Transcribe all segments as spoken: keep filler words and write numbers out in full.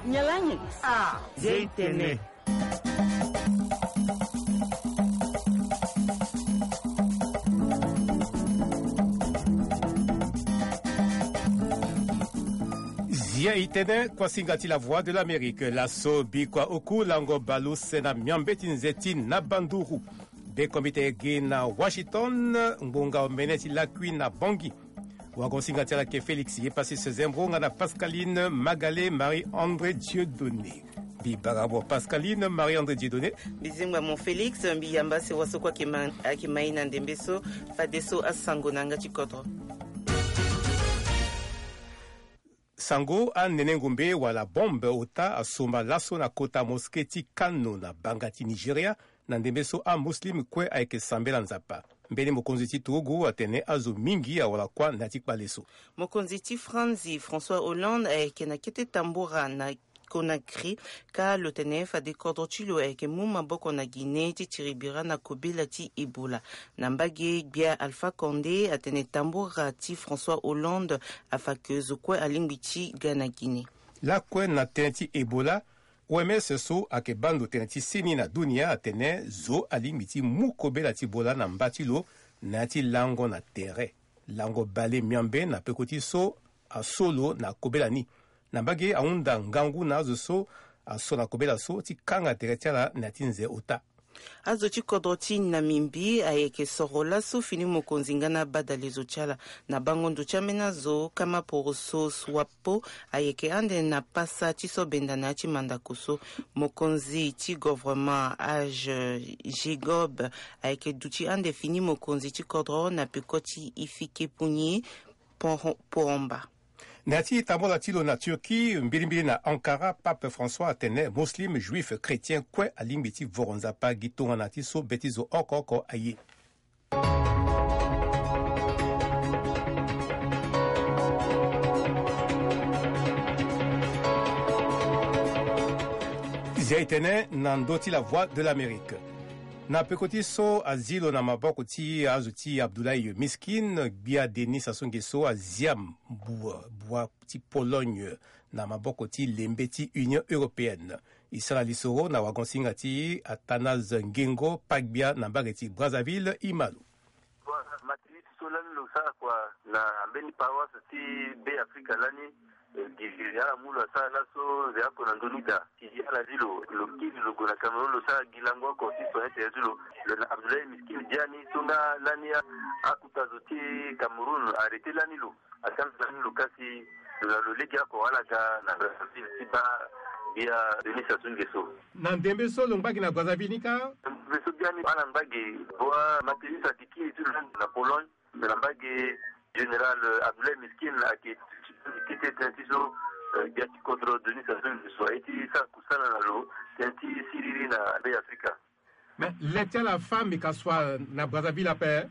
Nyalangi. Ah, Zia itene. Zia itene, kuasinga ti La Voix de l'Amérique. Laso bikua oku lango baleuse na miambe ti nze ti na Banduru. Bekombite gi na Washington, ngbonga omene ti lakui na Bangui. Wagosinga ti ala ke Félix Yepasi Sezembro nga na Pascaline Magalé Marie-André Dieudonné. Mbi bara mo Pascaline Marie-André Dieudonné. Mbi zingba mo Félix, mbi yamba se waso kue ayeke ma-, ayeke ma e na ndembe so, fadeso asango na yanga ti kodro. Sango, anene ngombe wala bombe ota asomba laso na kota mosquée ti Kano na banga ti Nigeria, na ndembe so amuslim kue ayeke sambela Nzapa. Mbeni mokonzi ti turugu atene azo mingi awara kuâ na ya ti kpale so. Mokonzi ti Franzi, François Hollande, ayeke na kete tambura na Conakry, ka lo tene fade kodro ti lo ayeke mu maboko na Guinée ti tiri bira na kobela ti Ebola. Na mbage, gbia Alpha Condé atene tambura ti François Hollande afa ke zo kue alingbi ti ga na Guinée. Lakue na tënë ti Ebola, O M S so ayeke baa ndo tënë ti seni na dunia atene zo alingbi ti mu kobela ti Ebola na mba ti lo na ya ti lango na tere. Lango bale miambe na peko ti so aso lo na kobela ni. Na mbage ahunda ngangu na azo so aso na kobela so ti kanga tere ti ala na ya ti nze ota. Azo ti kodro ti Namibie ayeke soro laso fini mokonzi nga na badalezo ti ala. Na bango ndo ti ambeni azo, Kamaporoso Swapo ayeke ande na pasa ti so benda na ya ti mandako so. Mokonzi ti gouvernement Age Gegob ayeke duti ande fini mokonzi ti kodro na peko ti Ifikepunye Poro-, Poromba. Na ya ti tambula ti lo na Turquie, mbilimbili na Ankara, Pape François atene muslim, juif, chrétien kue alingbi ti voro Nzapa gi tongana ti so be ti zo oko oko aye. Zia e tene na ndö ti La Voix de l'Amérique. Na peko ti so azi lo na maboko ti azo ti Abdoulaye Miskin, gbia Denis Sassou Nguesso azia mbua, bua ti Pologne na maboko ti lembe ti Union Européenne. E sara lisoro na wagosinga ti Athanase Ngengo Pagbia na mbage ti Brazzaville, e ma lo. Bon, match ti so lani lo sara kua na mbeni paroisse ti Be Afrika lani, eh, gi ala mu lo asara laso nze oko na ndoni daa. Gi ala zi lo, lo kiri lo gue na Cameroun, lo sara gi lango oko ti soigner tere ti lo. Lo na Abdoulaye Miskin biani so nga lani a, akuta zo ti Cameroun arrêté lani lo. Atam sani lo kasi, lo na lo lege oko ala ga na Brazzaville ti baa gbia Denis Sassou Nguesso. Na ndembe so lo ngba gi na Brazzaville ni kâ? Ndembe so biani ala ngba gi, bua Mathéus ayeke kiri ti lo na Pologne, na mbage général Abdoulaye Miskin ayeke ti kete tënë ti so, eh, gbia ti kodro Denis Sassou Nguesso aye ti sara kusala na lo tënë ti siriri na Be Afrika. Mais le ti ala fâ meka so na Brazzaville ape.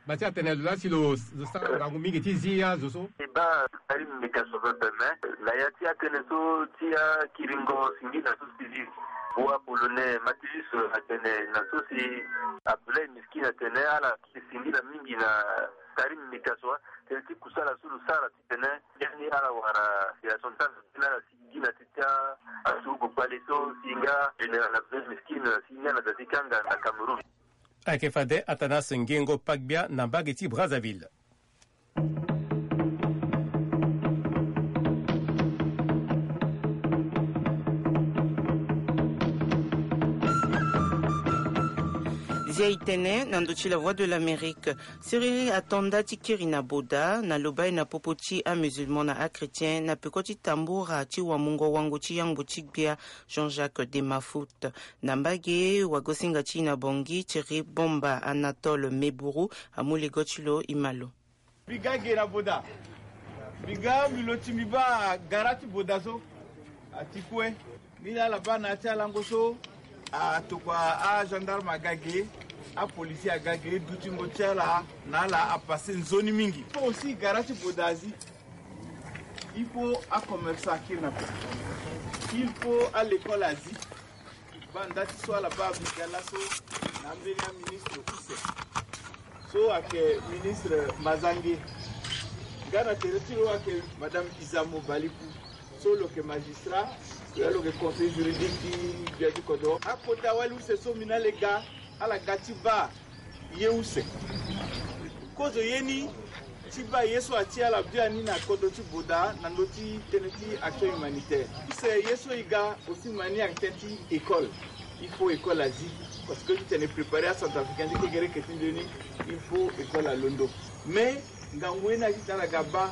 Ba ti atene lo laa si lo, lo sara ngangu mingi ti zi azo so. E baa Karim meka so pepe, mais na ya ti atënë so ti akiringo singila so si zi. Bua Polonais Mathéus atene na so si Abdoulaye Miskin atene ala kiri singila mingi na Karim meka so, tënë ti kusala so lo sara ti tene biani ala wara fédération ti ala si gi na ti ti asurugu kpale so si nga général Abdoulaye Miskin si nga na da ti kanga na Cameroun. Ayeke fade Athanase Ngengo Pagbia na mbage ti Brazzaville. Zia e tene na ndö ti La Voix de l'Amérique. Siriri ato nda ti kiri na Boda na lo baa e na popo ti amusulman na achrétien na peko ti tambura ti wamungo wango ti yangbo ti gbia Jean-Jacques de Mafout. Na mbage wagosinga ti e na Bangui, Thierry Bomba Anatole Meburu amu lego ti lo, e ma lo. Mbi ga ge na Boda. Mbi ga mbi lo ti mbi baa gara ti Boda so. A ti kue. Ni laa ala baa na ya ti alango so, atokua agendarme aga ge, apolisi aga ge, dutingo ti ala na ala apasse nzoni mingi. Fo aussi gara ti Boda azi. Il faut acommerçant akiri na pe. Il faut alekole azi. Baa nda ti so ala baa mbi ga laso na ambeni aministre use. So ayeke ministre Mazange. Nga na tere ti lo ayeke madame Izamo Baliku. So lo yeke magistrat, lo yeke conseiller juridique ti gbia ti kodro. Akota wali use so mbi na ala e ga, ala ga ti baa ye use. Kozo ye ni ti baa ye so ati ala bia ni na kodro ti Boda na ndö ti tënë ti action humanitaire. Use ye so e ga aussi mani ayeke tënë ti école. Il faut école azi. Parce que ti tene préparer acentrafricain ti kekereke ti nzoni, il faut école alondo. Mais ngangu ye ni aye ti tene ala ga baa.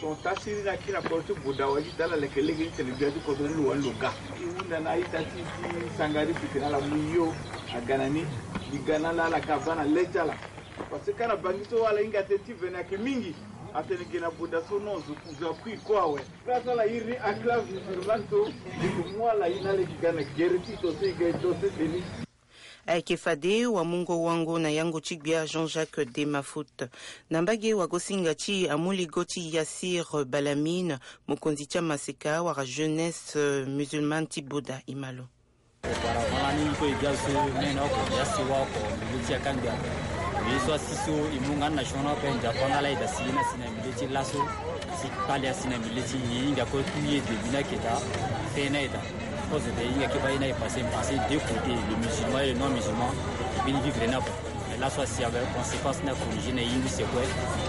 Ton tasiri na kiri na kodro ti Boda wa ti tene ala leke lege ti tene gbia ti kodro ni lo wani lo ga. E hunda na a-ita ti, ti sangari si tene ala mu yo aga na ni. Mbi ga na ala, ala ga baa na le ti ala. Parce que ka na bangi so ala hinga tënë ti vene ayeke mingi. Atene ge na Boda so non, zo, zo akui kue awe. Place ala iri ni enclave musulmane so, e ke mu ala ye na ala e ke ga na gere ti e to so e ga e to sese ni. Ayeke fade wamungo wango na yango ti gbia Jean-Jacques Demafoot. Na mbage wagosinga ti amuligo ti Yassir Balamine, mokonzi ti amaseka wala jeunesse, euh, musulmane ti Boda, e ma lo. Auparavant lani e kue e ga so mene oko, e ga sewa oko, milieu ti akangbi ape. Mais so asi so e mu nga ni na sioni ape, Nzapa nga laa e da si ye ni asi na milieu ti laso, si kpale asi na milieu ti nyen, e hinga kue tout ye début ni ayeke daa, fin ni ayeke daa. Kozo de e hinga kue baa ye ni aye passé, passé deux côtés, le musulman et le non musulman, e beni vivre ni ape. Mais laso asi ape conséquence ni acorrigé na ye use kue,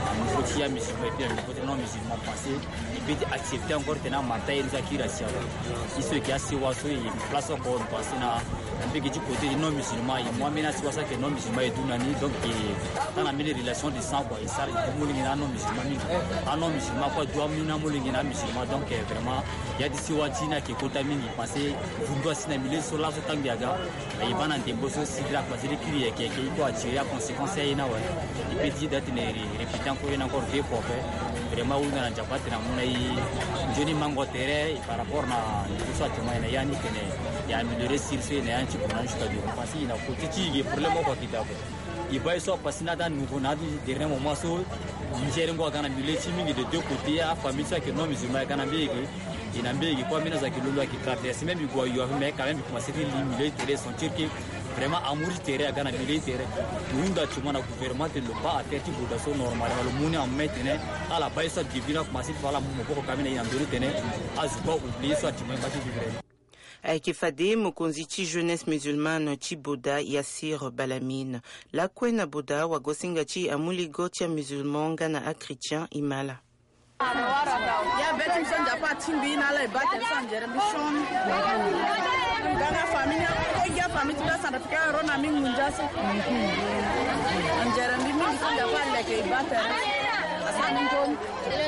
na niveau ti amusulman et puis na niveau ti non musulman passé. E peut ti accepter encore tene amata ye ni so akiri asi ape. Ye so e yeke asewa so e yeke place oko, e passé na, na mbage ti côté ti non musulman, e mu ambeni asewa so ayeke non musulman e du na ni, donc e tanga mbeni relation de sang quoi, e sara e du molenge na anon musulman mingi. Anon musulman kue adu ambeni amolenge na amusulman, donc eh, vraiment ya ti sewa ti ni ayeke kota mingi, parce que vundu asi na milieu so laso tangbi aga. E baa na ndembo so si dra croisé ti kiri yeke yeke, e kue attirer aconséquence aye ni awe. E peut ti da tene répéter encore ye ni encore deux fois ape. Vraiment ahunda na Nzapa atene amu na e nzoni mango tere par rapport na niveau so actuellement e na ya ni tene e améliorer sur so e na ya ni ti kona ni jusqu'à demain. Parce que e na côté ti e ge problème oko ayeke daa ape. E baa ye so apasé ni ata nouveau na ata ti dernier moment so nzerengo aga na milieu ti e mingi de deux côtés, afamille so ayeke non musulman aga na mbege. E na mbege kue ambeni azo ayeke londo ayeke traverser, même e gue ayo ape, mais quand même e commencé ti li milieu ti tere, sentir que vraiment amour ti tere aga na milieu ti tere. E hunda ti mo na gouvernement tene lo baa affaire ti Boda so normalement lo mu ni en main tene ala baa ye so adébut ni akomanse ti fa ala mu maboko ka ambeni aye na ndö ni tene azo kue a oublier ye so actuellement e ma ti vivre ni. Ayeke fade mokonzi ti jeunesse musulmane ti Boda, Yassir Balamine. Lakue na Boda, wagosinga ti amuligo ti amusulman nga na achrétien e ma ala. Ya be ti mbi so Nzapa atingbi na ala e baa tere so anzere mbi sioni. Nga na famille ni, e gi afamille ti mbi asandatika aro na mbi ngunza so. Anzere mbi mingi so Nzapa aleke e baa tere. Asara mbi nzoni. Ere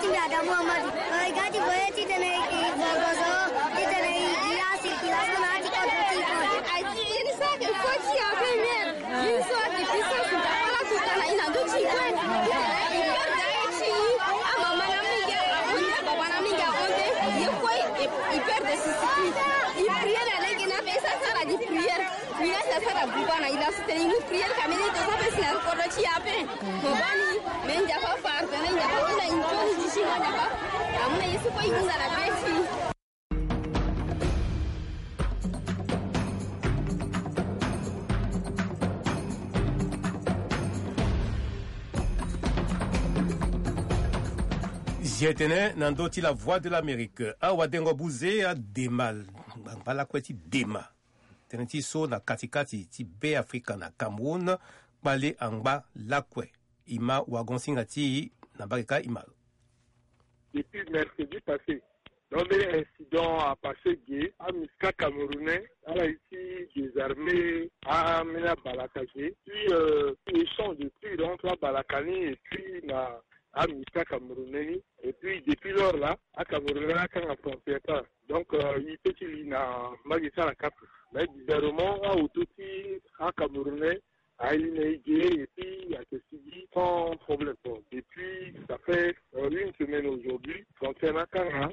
ti ngia da Muhammadu. O, i ga ti voye ti tene i voye gozo, ti tene i, i ya circulation na ti contre ti i. Ayi, ye ni so ayeke kue ti ya première. Ye ni so ayeke puissance Nzapa la so tana i na ndö ti i kue. I perde aye ti i. Amama na mingi ahon nde, ababa na mingi ahon nde. Ye kue i, i perde sisiki. I prière na lege ni ape, i sara sara di prière. Mbi laa si asara buba na i laa so tene i mu prière ka mbeni ito so ape si na kodro ti e ape. Mo baa ni, me Nzapa pardonné, Nzapa amu na i nzoni ti si mo Nzapa. Amu na ye so kue i hunda na be ti i. Zi etene na ndö ti La Voix de l'Amérique, awadengo buze adema ngbangba lakue ti dema tënë ti so na katikati ti Beafrika na Cameroun, kpale angba lakue. E ma wagon-singa ti e na mbage kâ e ma. Depuis mercredi passé, donc mbeni incident apassé ge, amusika camerounais ala ye ti désarmer ambeni abalaka ge, puis euh, échange de tir entre abalaka ni et puis na amusika camerounais ni. Et puis depuis lors là, acamerounais akanga frontière kâ. Donc euh, i peut ti li na mbage ti ala kâ. Mais bizarrement aoto ti acamerounais aye na e ge et puis ayeke sigi sans problème. Bon, depuis ça fait euh, une semaine aujourd'hui, frontière ni akanga.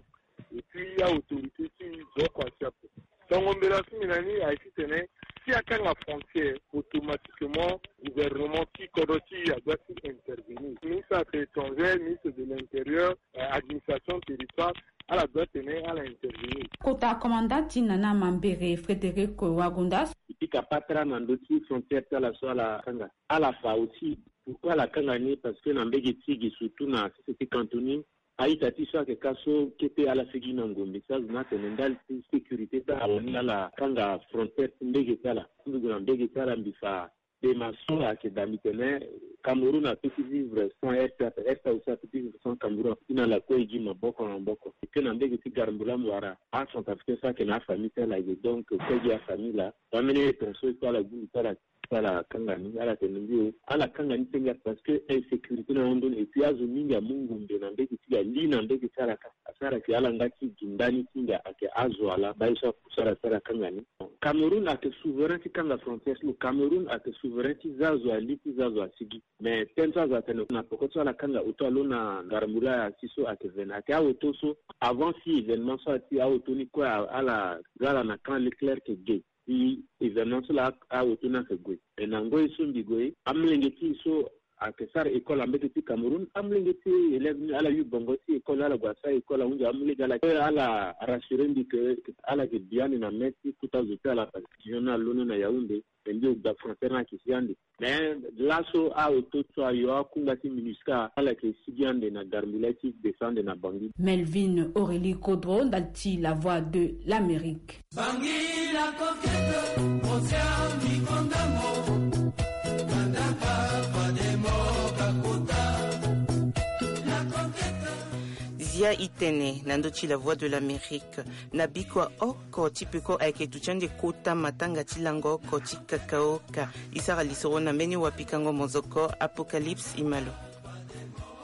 Et puis aautorité ti zo oko asi ape. Tongo mbela ti mbi na ni aye titene si akanga frontière, automatiquement gouvernement ti kodro ti e adoit ti intervenir. Ministre affaires étrangères, ministre de l'intérieur, euh, administration territoire, ala doit tene ala intervenir. Kota commandant ti Nana Mambere, Frédéric Wagondas. E peut kapatra na ndö ti frontière ti ala so ala kanga. Ala fa aussi. Pourquoi ala kanga ni? Parce que na mbege ti gi surtout na société cantoni, a-ita ti so ayeke ka so kete ala sigi na ngombe ti azo ni atene ndali ti sécurité ti ala ni ala kanga frontière ti mbege ti ala. Ti ndugu na mbege ti ala mbi fa dema so ayeke daa mbi tene Cameroun apeut ti vivre sans RCA, RCA aussi apeut ti vivre sans Cameroun. Apeut ti na ala kue e gi maboko na maboko. E ke na mbege ti Garambula mo wara acentrafricain so ayeke na afamille ti ala e ge, donc kue gi afamille laa. Ambeni ton so e kue ala gi mbi ti ala ti ala kanga ni, ala tene mbi o ala kanga ni ti ngia parce que insécurité ni ahon ndoni. Et puis azo mingi amu ngombe na mbege ti ga li na mbege ti ala kâ. Asara ke ala nga ti gi ndani ti ngia ayeke azo ala baa ye so apusu ala ti ala kanga ni. Cameroun ayeke souverain ti kanga frontière ti lo. Cameroun ayeke souverain ti za azo ali ti za azo asigi. Mais tënë so azo atene na poko ti so ala kanga auto alo na Garambula si so ayeke vene ayeke aoto so. Avant si événement so ati aoto ni kue ala za ala na camp Leclerc ge. Si événement so laa aoto ni ayeke gue. E na ngoi so mbi gue amolenge ti e so ayeke sara école na mbege ti Cameroun, amolenge ti e élève ni ala yu bongo ti école ala gue asara école ahunzi amolenge ala kue ala rassurer mbi ke ala yeke bi ande na mê ti kota zo ti ala parce que pigeon ni alondo na Yaoundé. E mbi o gba frontière ni ayeke si ande. Mais laso aoto so ayo akungba ti MINUSCA ala yeke sigi ande na Garambula ti descendre na Bangui. Melvin Aurélie Kodro ndali ti La Voix de l'Amérique. Bangui la coquette, mon ami Kondamo, Kandapa, Pademo, Kakota, la coquette. Zia itene na ndö ti La Voix de l'Amérique. Na bikua oko ti peko ayeke duti ande kota matanga ti lango oko ti kakaoka. E sara lisoro na mbeni wapikango mozoko Apocalypse Imalo.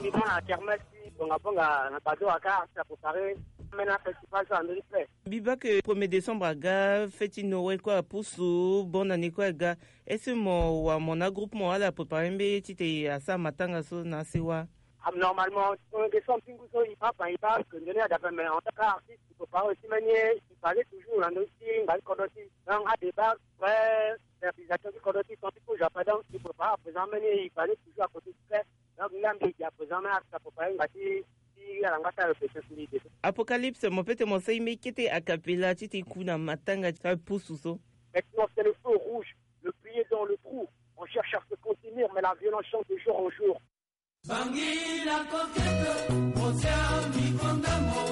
Mbi bâ na kermesse ti bongabonga na Badoa car ça préparé. Ambeni afestival so andoni fait. Mbi bâ ke premier décembre aga fête ti Noël kue apusu, bonne année kue aga. Est-ce que mo wara mo na agroupe mo ala préparé mbeni ye titene asara matanga so na asewa? Ah, normalement premier décembre ti ngu so e bâ, enfin e bâ parce que ndoni adape, mais en tant qu'artiste e prépare aussi mbeni ye, e base toujours na ndö ti ngbanga ti kodro ti e. Donc adébat vrai fertilisation ti kodro ti e, tant ti kozo ape, donc e prépare à présent mbeni ye, e base toujours à côté ti fait. Donc nga mbi e gi à présent mbeni artiste à préparé ngbanga ti ti ala nga ti ala répétition ti mbi de. Apocalypse, mo peut ti mo sara mbeni kete a cappella titene e ku na matanga ti apusu so. Maintenant c'est le feu rouge, le pied dans le trou. On cherche à se contenir, mais la violence chante de jour en jour. Bangui la coquette, mon ami Kondamo,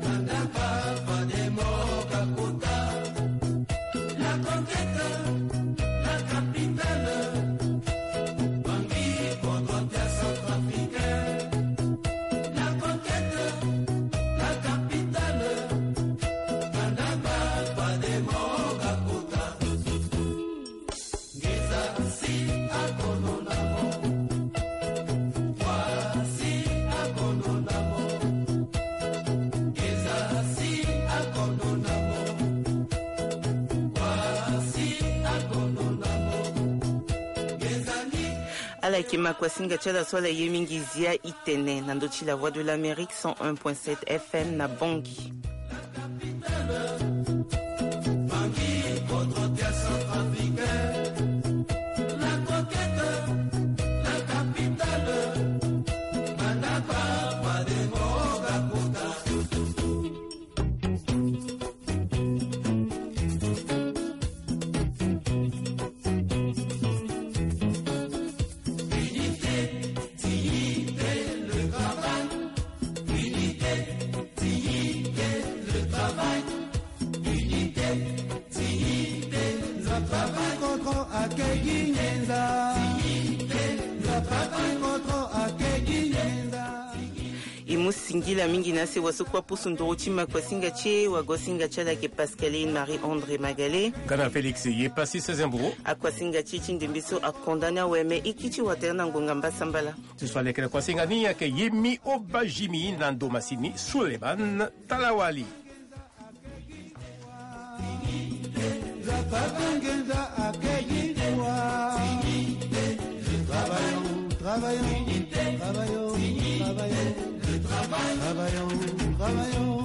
Kandapa, Pademo, Kakota. La coquette, la capitale, Bangui, Kodro ti acentrafricain. La coquette, la capitale, Kandapa, Pademo, Kakota. Ngeza si akono na mo. Wa si akono na mo. Ngeza si akono na mo. Wa si akono na mo. Ngeza ni. Ala yeke makuasinga ti ala so ala ye mingi Zia itene na ndö ti La Voix de l'Amérique cent un point sept F M na Bangui. E mu singila mingi na asewa so kue apusu nduru ti makuasinga ti e, wagosinga ti ala ayeke Pascaline Marie André Magale. Kana Félix ye pasi seize mburu. Akuasinga ti e ti ndembe so akonda ni awe, me e kiri ti wa tere na ngonga mbasambala. Ti so aleke na kuasinga ni ayeke Yemi Obajimi na ndo masini Suleiman Talawali. Travaillons, travaillons, travaillons, travaillons, travaillons, travaillons.